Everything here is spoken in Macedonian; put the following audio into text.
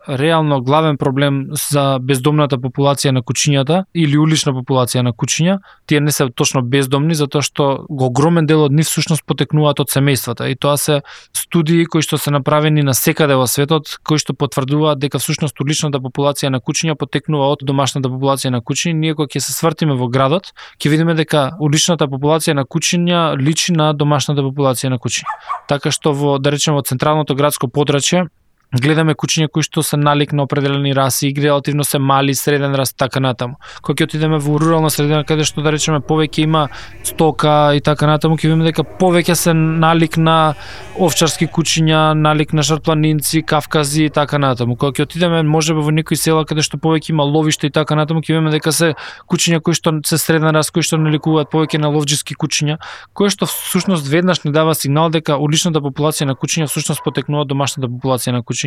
реално главен проблем за бездомната популација на кучињата или улична популација на кучиња. Тие не се точно бездомни затоа што огромен дел од нив всушност потекнуваат од семејствата и тоа се студии кои што се направени на секаде во светот, кои што потврдуваат дека всушност уличната популација на кучиња потекнува од домашната популација на кучиња. Ние кога ќе се свртиме во градот, ќе видиме дека уличната популација на кучиња личи на домашната популација на кучиња. Така што во, да речеме, во централното градско подрачје гледаме кучиња кои што се налик на определени раси и релативно се мали, среден раст, така натаму. Кога ќе отидеме во рурална средина каде што, да речеме, повеќе има стока и така натаму, ќе видиме дека повеќе се налик на овчарски кучиња, налик на шарпланинци, кавкази и така натаму. Кога ќе отидеме можеби во некои села каде што повеќе има ловиште и така натаму, ќе видиме дека се кучиња кои што се среден раст, кои што наликуваат повеќе на ловџиски кучиња, кои што всушност веднаш ни дава сигнал дека уличната популација на кучиња всушност потекнува од домашната популација на кучиња.